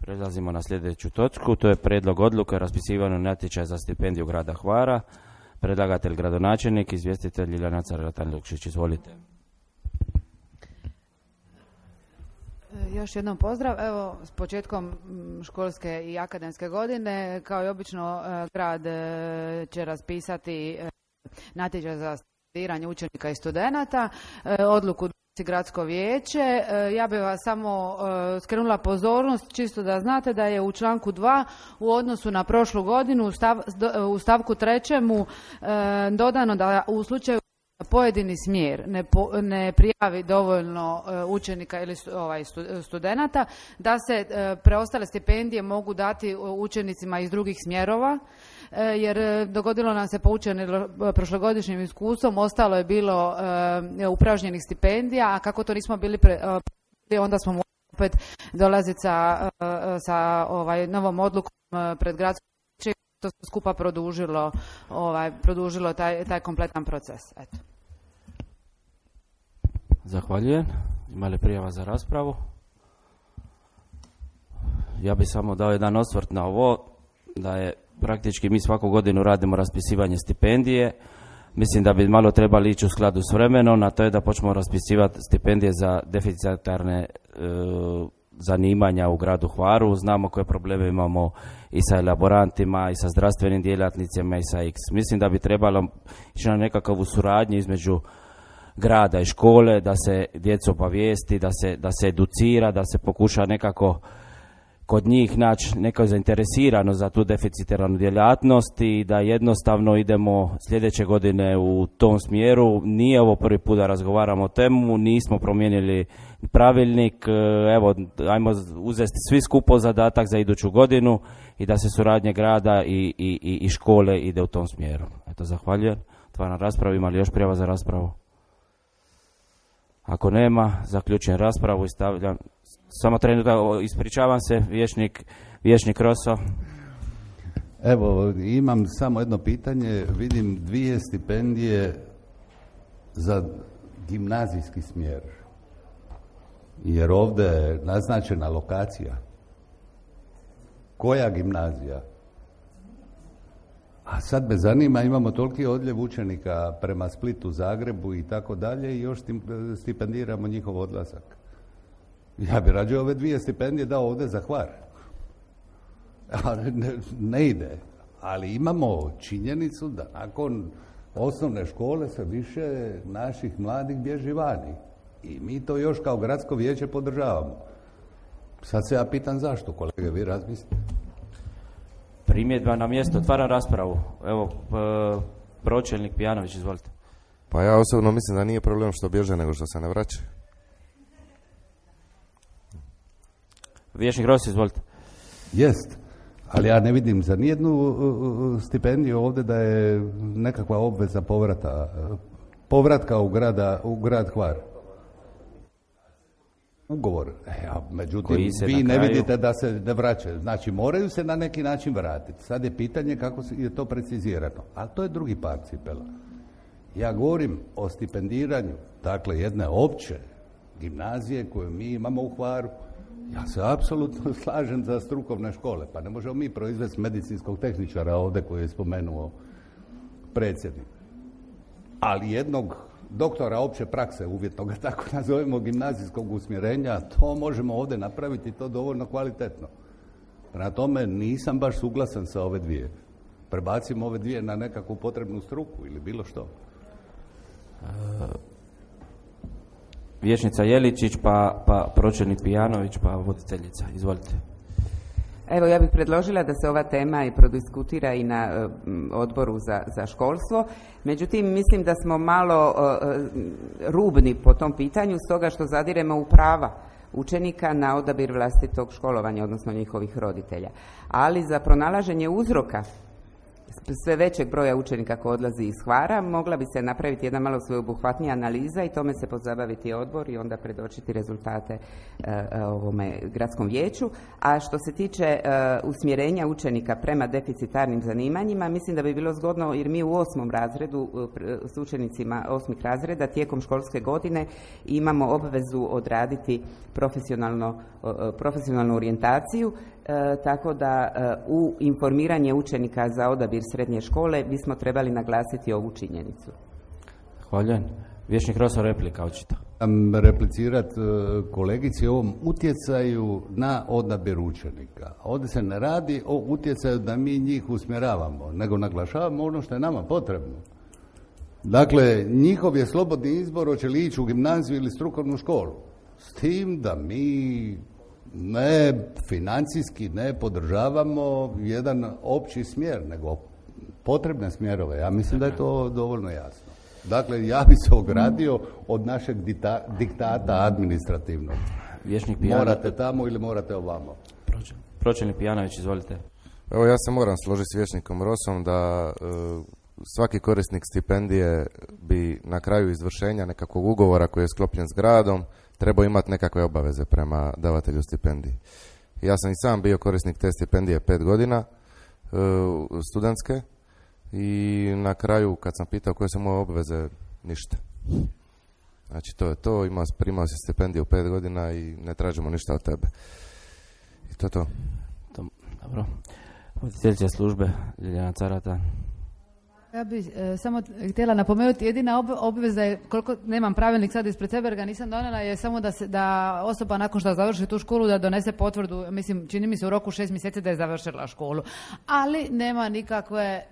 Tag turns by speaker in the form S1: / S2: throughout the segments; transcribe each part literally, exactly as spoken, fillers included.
S1: Prelazimo na sljedeću točku, to je prijedlog odluke o raspisivanju natječaja za stipendiju grada Hvara. Predlagatelj gradonačelnik, izvjestitelj Iljana Carletan-Lukšić. Izvolite.
S2: Još jednom pozdrav. Evo, s početkom školske i akademske godine, kao i obično, grad će raspisati natječaj za stipendiranje učenika i studenata. Odluku donosi gradsko vijeće. Ja bih vas samo skrenula pozornost, čisto da znate da je u članku dva u odnosu na prošlu godinu u, stav, u stavku trećemu dodano da u slučaju pojedini smjer ne, po, ne prijavi dovoljno uh, učenika ili stu, ovaj, stu, studenata, da se uh, preostale stipendije mogu dati učenicima iz drugih smjerova, uh, jer uh, dogodilo nam se poučeni prošlogodišnjim iskustvom, ostalo je bilo uh, upražnjenih stipendija, a kako to nismo bili pre, uh, onda smo morali opet dolaziti sa, uh, sa ovaj, novom odlukom uh, pred gradskom vijećem. To skupa produžilo, ovaj, produžilo taj, taj kompletan proces. Eto.
S1: Zahvaljujem. Ima li prijava za raspravu? Ja bih samo dao jedan osvrt na ovo, da je praktički mi svaku godinu radimo raspisivanje stipendije. Mislim da bi malo trebali ići u skladu s vremenom, a to je da počnemo raspisivati stipendije za deficitarne e, zanimanja u gradu Hvaru. Znamo koje probleme imamo i sa elaborantima, i sa zdravstvenim djelatnicima, i sa X. Mislim da bi trebalo ići na nekakvu suradnju između grada i škole, da se djecu obavijesti, da se, da se educira, da se pokuša nekako kod njih naći neko zainteresirano za tu deficitarnu djelatnost i da jednostavno idemo sljedeće godine u tom smjeru. Nije ovo prvi put da razgovaramo o temu, nismo promijenili pravilnik, evo, ajmo uzeti svi skupo zadatak za iduću godinu i da se suradnje grada i, i, i škole ide u tom smjeru. Eto, zahvaljujem. Otvaram raspravu. Ima li još prijava za raspravu? Ako nema, zaključujem raspravu i stavljam. Samo trenutak, ispričavam se, vijećnik, vijećnik Roso.
S3: Evo, imam samo jedno pitanje. Vidim dvije stipendije za gimnazijski smjer. Jer ovdje je naznačena lokacija. Koja gimnazija? A sad me zanima, imamo toliki odljev učenika prema Splitu, Zagrebu i tako dalje i još stipendiramo njihov odlazak. Ja bi rađe ove dvije stipendije dao ovdje za Hvar. Ne, ne ide. Ali imamo činjenicu da nakon osnovne škole se više naših mladih bježi vani. I mi to još kao gradsko vijeće podržavamo. Sad se ja pitam zašto, kolege, vi razmislite.
S1: Primjedba na mjesto, otvaram raspravu. Evo, pročelnik Pijanović, izvolite.
S4: Pa ja osobno mislim da nije problem što bježe, nego što se ne vraća.
S1: Vijećnik Rossi, izvolite.
S3: Jest, ali ja ne vidim za nijednu uh, stipendiju ovdje da je nekakva obveza povrata, povratka u, grada, u grad Hvar. Ugovor. Ja, međutim, vi ne vidite da se ne vraćaju. Znači, moraju se na neki način vratiti. Sad je pitanje kako je to precizirano. Ali to je drugi par cipela. Ja govorim o stipendiranju, dakle, jedne opće gimnazije koju mi imamo u Hvaru. Ja se apsolutno slažem za strukovne škole. Pa ne možemo mi proizvesti medicinskog tehničara ovdje koji je spomenuo predsjednik. Ali jednog doktora opće prakse, uvjetno ga tako nazovemo, gimnazijskog usmjerenja, to možemo ovdje napraviti, to dovoljno kvalitetno. Prema tome nisam baš suglasan sa ove dvije. Prebacimo ove dvije na nekakvu potrebnu struku ili bilo što.
S1: Uh, Vijećnica Jeličić, pa, pa pročelnik Pijanović, pa voditeljica. Izvolite.
S5: Evo, ja bih predložila da se ova tema i prodiskutira i na uh, odboru za, za školstvo. Međutim, mislim da smo malo uh, rubni po tom pitanju, stoga što zadiremo u prava učenika na odabir vlastitog školovanja, odnosno njihovih roditelja. Ali za pronalaženje uzroka sve većeg broja učenika koji odlazi iz Hvara, mogla bi se napraviti jedna malo sveobuhvatnija analiza i tome se pozabaviti odbor i onda predočiti rezultate uh, ovome gradskom vijeću. A što se tiče uh, usmjerenja učenika prema deficitarnim zanimanjima, mislim da bi bilo zgodno, jer mi u osmom razredu uh, s učenicima osmih razreda tijekom školske godine imamo obvezu odraditi profesionalno, uh, profesionalnu orijentaciju. E, tako da e, u informiranje učenika za odabir srednje škole bismo trebali naglasiti ovu činjenicu.
S1: Hvaljujem. Vječnik Roso, replika očito.
S3: Replicirati kolegici o ovom utjecaju na odabir učenika. Ovdje se ne radi o utjecaju da mi njih usmjeravamo, nego naglašavamo ono što je nama potrebno. Dakle, njihov je slobodni izbor hoće li ići u gimnaziju ili strukovnu školu. S tim da mi ne financijski ne podržavamo jedan opći smjer, nego potrebne smjerove. Ja mislim da je to dovoljno jasno. Dakle, ja bi se ogradio od našeg dita, diktata administrativnog.
S1: Vječnik Pijana...
S3: Morate tamo ili morate ovamo.
S1: Pročelnik Pijanović, izvolite.
S4: Evo, ja se moram složiti s Vječnikom Rosom da e, svaki korisnik stipendije bi na kraju izvršenja nekakvog ugovora koji je sklopljen s gradom trebao imati nekakve obaveze prema davatelju stipendije. Ja sam i sam bio korisnik te stipendije pet godina e, studentske i na kraju kad sam pitao koje su moje obveze, ništa. Znači to je to, imao, primao si stipendiju pet godina i ne tražimo ništa od tebe. I to je to.
S1: Dobro. Voditeljica službe Ljiljana Carata.
S2: Ja bih e, samo htjela napomenuti, jedina obveza je, koliko nemam pravilnik sad ispred sebe jer ga nisam donijela, je samo da, se, da osoba nakon što završi tu školu da donese potvrdu, mislim, čini mi se u roku šest mjeseci da je završila školu. Ali nema nikakve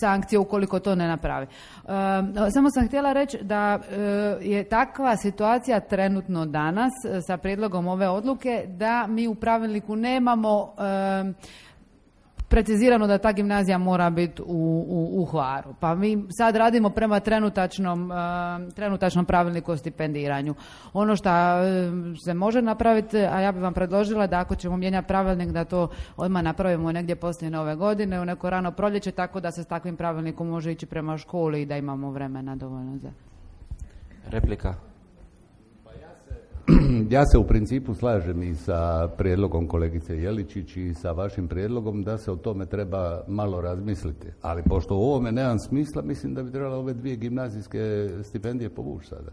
S2: sankcije ukoliko to ne napravi. E, samo sam htjela reći da e, je takva situacija trenutno danas e, sa prijedlogom ove odluke da mi u pravilniku nemamo e, precizirano da ta gimnazija mora biti u, u, u Hvaru. Pa mi sad radimo prema trenutačnom, uh, trenutačnom pravilniku o stipendiranju. Ono što uh, se može napraviti, a ja bih vam predložila da ako ćemo mijenjati pravilnik da to odmah napravimo negdje poslije nove godine, u neko rano proljeće, tako da se s takvim pravilnikom može ići prema školi i da imamo vremena dovoljno za...
S1: Replika.
S3: Ja se u principu slažem i sa prijedlogom kolegice Jeličić i sa vašim prijedlogom da se o tome treba malo razmisliti. Ali pošto u ovome nemam smisla, mislim da bi trebalo ove dvije gimnazijske stipendije povući sada.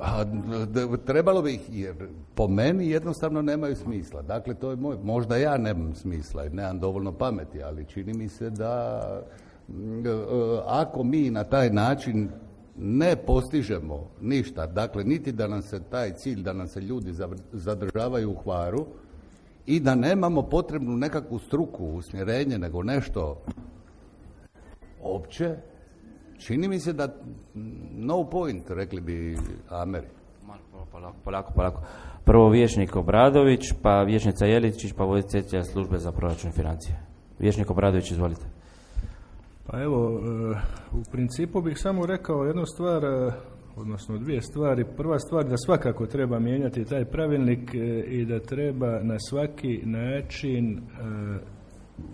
S3: A, trebalo bi ih, jer po meni jednostavno nemaju smisla. Dakle, to je moj, možda ja nemam smisla i nemam dovoljno pameti, ali čini mi se da ako mi na taj način ne postižemo ništa, dakle niti da nam se taj cilj, da nam se ljudi zadržavaju u Hvaru i da nemamo potrebnu nekakvu struku, usmjerenje, nego nešto opće, čini mi se da no point, rekli bi Ameri.
S1: Polako, polako, polako. Prvo Vječnik Obradović, pa Vječnica Jeličić, pa voditeljica službe za proračun i financije. Vječnik Obradović, izvolite.
S6: Pa evo, u principu bih samo rekao jednu stvar, odnosno dvije stvari. Prva stvar da svakako treba mijenjati taj pravilnik i da treba na svaki način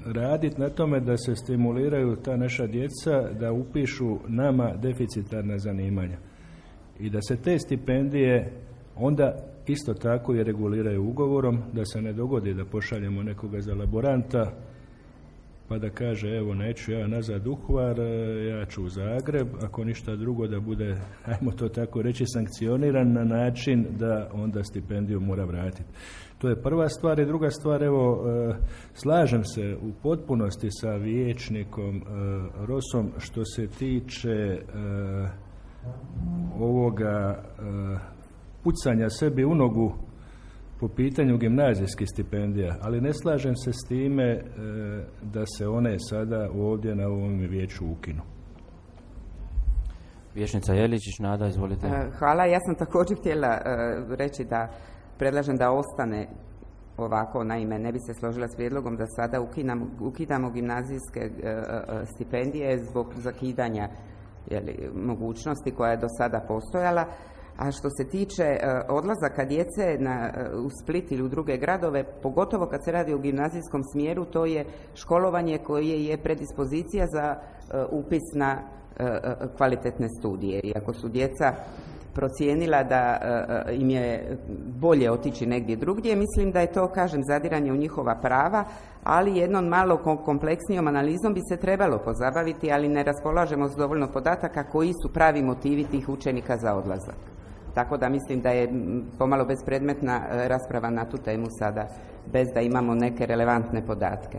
S6: raditi na tome da se stimuliraju ta naša djeca da upišu nama deficitarna zanimanja. I da se te stipendije onda isto tako i reguliraju ugovorom, da se ne dogodi da pošaljemo nekoga za laboranta pa da kaže evo neću ja nazad u Hvar, ja ću u Zagreb, ako ništa drugo da bude, ajmo to tako reći, sankcioniran na način da onda stipendiju mora vratiti. To je prva stvar. I druga stvar, evo, slažem se u potpunosti sa Vječnikom Rosom što se tiče ovoga pucanja sebi u nogu po pitanju gimnazijskih stipendija, ali ne slažem se s time e, da se one sada ovdje na ovom vijeću ukinu.
S1: Vječnica Jeličić, Nada, izvolite.
S5: Hvala, ja sam također htjela e, reći da predlažem da ostane ovako, naime, ne bi se složila s prijedlogom da sada ukinamo, ukidamo gimnazijske e, e, stipendije zbog zakidanja jeli, mogućnosti koja je do sada postojala. A što se tiče uh, odlazaka djece na, uh, u Split ili u druge gradove, pogotovo kad se radi o gimnazijskom smjeru, to je školovanje koje je predispozicija za uh, upis na uh, uh, kvalitetne studije. I ako su djeca procijenila da uh, im je bolje otići negdje drugdje, mislim da je to, kažem, zadiranje u njihova prava, ali jednom malo kompleksnijom analizom bi se trebalo pozabaviti, ali ne raspolažemo s dovoljno podataka koji su pravi motivi tih učenika za odlazak. Tako da mislim da je pomalo bespredmetna rasprava na tu temu sada, bez da imamo neke relevantne podatke.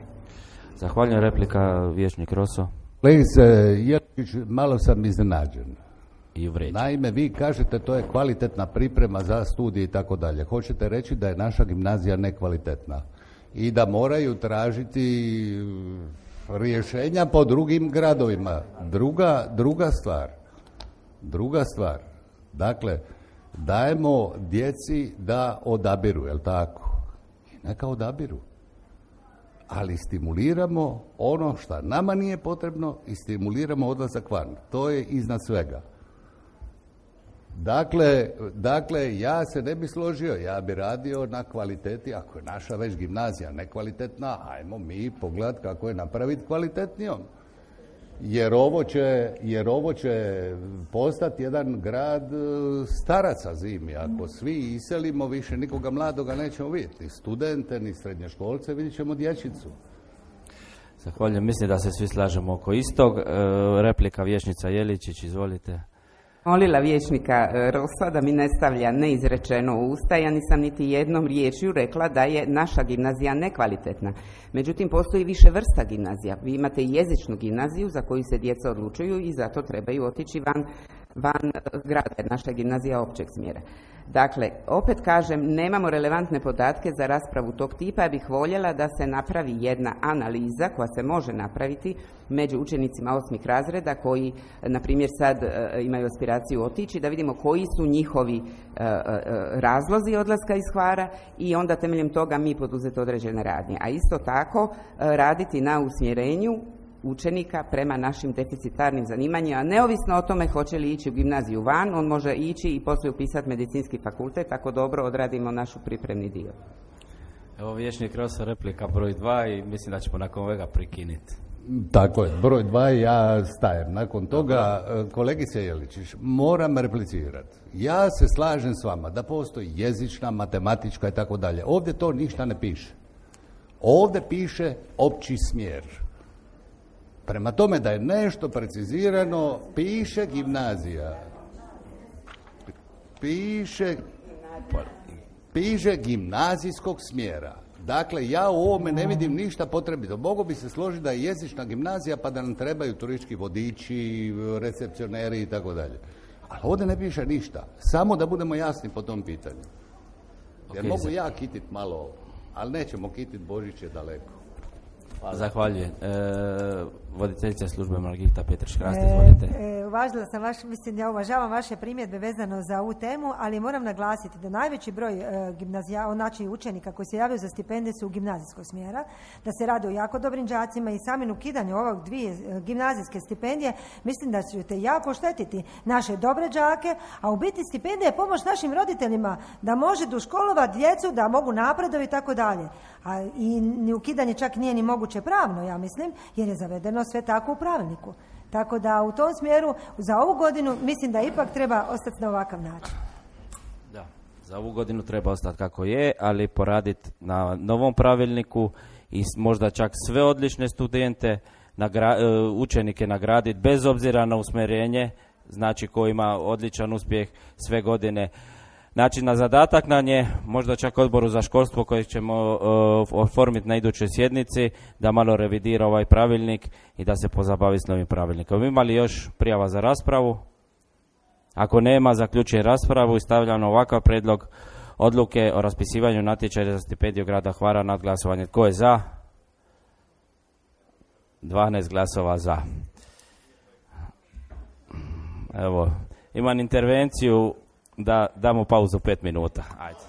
S1: Zahvaljujem. Replika, vijećnik Roso.
S3: Kolegice Jeličić, malo sam iznenađen.
S1: I uvređen.
S3: Naime, vi kažete to je kvalitetna priprema za studije i tako dalje. Hoćete reći da je naša gimnazija nekvalitetna i da moraju tražiti rješenja po drugim gradovima. Druga, druga stvar, druga stvar, dakle, dajemo djeci da odabiru, jel tako? I neka odabiru. Ali stimuliramo ono što nama nije potrebno i stimuliramo odlazak van. To je iznad svega. Dakle, dakle, ja se ne bi složio, ja bi radio na kvaliteti, ako je naša već gimnazija nekvalitetna, ajmo mi pogledati kako je napraviti kvalitetnijom. Jer ovo će, jer ovo će postati jedan grad staraca zimi. Ako svi iselimo, više nikoga mladoga nećemo vidjeti. Ni studente, ni srednjoškolce, vidjet ćemo dječicu.
S1: Zahvaljujem, mislim da se svi slažemo oko istog. E, replika vijećnica Jeličić, izvolite.
S5: Molila vijećnika Rosa da mi ne stavlja neizrečeno u usta, ja nisam niti jednom riječju rekla da je naša gimnazija nekvalitetna. Međutim, postoji više vrsta gimnazija. Vi imate jezičnu gimnaziju za koju se djeca odlučuju i zato trebaju otići van, van grada, naša gimnazija općeg smjera. Dakle, opet kažem, nemamo relevantne podatke za raspravu tog tipa, ja bih voljela da se napravi jedna analiza koja se može napraviti među učenicima osmih razreda koji, na primjer, sad e, imaju aspiraciju otići, da vidimo koji su njihovi e, e, razlozi odlaska iz Hvara i onda temeljem toga mi poduzeti određene radnje. A isto tako e, raditi na usmjerenju učenika prema našim deficitarnim zanimanjima, neovisno o tome hoće li ići u gimnaziju van, on može ići i poslije upisati medicinski fakultet, tako dobro odradimo našu pripremni dio.
S1: Evo vijećnik Rosa, replika broj dva i mislim da ćemo nakon ovega prekinuti.
S3: Tako je, broj dva ja stajem. Nakon toga, kolegice Jeličić, moram replicirati. Ja se slažem s vama da postoji jezična, matematička i tako dalje. Ovdje to ništa ne piše. Ovdje piše opći smjer. Prema tome da je nešto precizirano, piše gimnazija. Piše, piše gimnazijskog smjera. Dakle, ja u ovome ne vidim ništa potrebito. Mogu bi se složiti da je jezična gimnazija pa da nam trebaju turistički vodiči, recepcioneri i tako dalje. Ali ovdje ne piše ništa. Samo da budemo jasni po tom pitanju. Jer okay, mogu ja kititi malo, ali nećemo kititi, Božić je daleko.
S1: Hvala. Zahvaljujem. E, voditeljica službe Margita Petrić-Hrast, izvolite.
S7: E, e, uvažila sam vaš, mislim ja uvažavam vaše primjedbe vezano za ovu temu, ali moram naglasiti da najveći broj e, gimnazija, znači učenika koji se javljaju za stipendije su u gimnazijskog smjera, da se radi o jako dobrim đacima i samim ukidanju ovog dvije e, gimnazijske stipendije, mislim da ćete jako oštetiti naše dobre đake, a u biti stipendija je pomoć našim roditeljima da može doškolovati djecu, da mogu napredovati i tako dalje. A i ni ukidanje čak nije ni moguće pravno, ja mislim, jer je zavedeno sve tako u pravilniku. Tako da u tom smjeru za ovu godinu mislim da ipak treba ostati na ovakav način.
S1: Da, za ovu godinu treba ostati kako je, ali poraditi na novom pravilniku i možda čak sve odlične studente, nagra, učenike nagraditi bez obzira na usmjerenje, znači ko ima odličan uspjeh sve godine. Znači, na zadatak nam je, možda čak odboru za školstvo kojeg ćemo uh, oformiti na idućoj sjednici, da malo revidira ovaj pravilnik i da se pozabavi s novim pravilnikom. Ima li još prijava za raspravu? Ako nema, zaključujem raspravu i stavljam ovakav predlog odluke o raspisivanju natječaja za stipendiju grada Hvara nad glasovanje. Tko je za? dvanaest glasova za. Evo, imam intervenciju da damo pauzu pet minuta. Ajde.